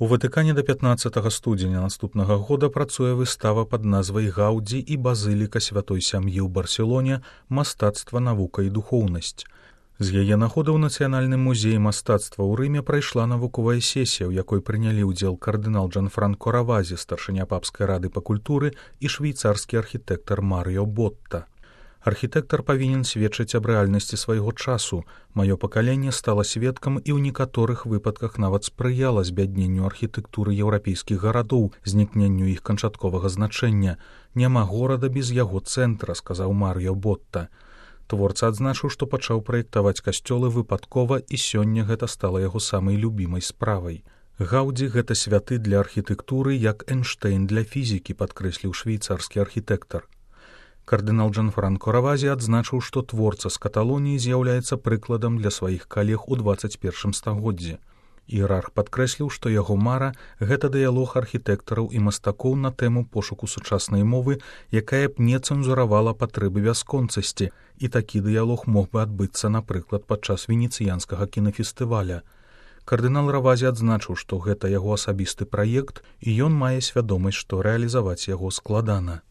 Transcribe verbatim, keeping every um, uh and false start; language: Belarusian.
У Ватыкане да пятнаццатага студзеня наступнага года працуе выстава пад назвай «Гаўдзі і базыліка святой сям'і ў Барселоне. Мастацтва, навука і духоўнасць». З яе нагоды ў Нацыянальным музеі мастацтва ў Рыме прайшла навуковая сесія, у якой прынялі ўдзел кардынал Джанфранко Равазі, старшыня папскай рады па культуры, і швейцарскі архітэктар Марыё Ботта. Архітэктар павінен сведчыць аб рэальнасці свайго часу. Маё пакаленне стала сведкам і ў некаторых выпадках нават спрыяла збядненню архітэктуры еўрапейскіх гарадоў, знікненню іх канчатковага значэння. Няма горада без яго цэнтра, сказаў Марыё Ботта. Творца адзначыў, што пачаў праектаваць касцёлы выпадкова, і сёння гэта стала яго самай любімай справай. Гаўдзі — гэта святы для архітэктуры, як Эйнштэйн для фізікі, падкрэсліў швейцарскі архітэктар. Кардынал Джанфранко Равазі адзначыў, што творца з Каталоніі з'яўляецца прыкладам для сваіх калег у дваццаць першым стагоддзі. Іерарх падкрэсліў, што яго мара — гэта дыялог архітэктараў і мастакоў на тэму пошуку сучаснай мовы, якая б не цэнзуравала патрэбы бясконцасці, і такі дыялог мог бы адбыцца, напрыклад, падчас венецыянскага кінафестываля. Кардынал Равазі адзначыў, што гэта яго асабісты праект, і ён мае свядомасць, што рэалізаваць яго складана.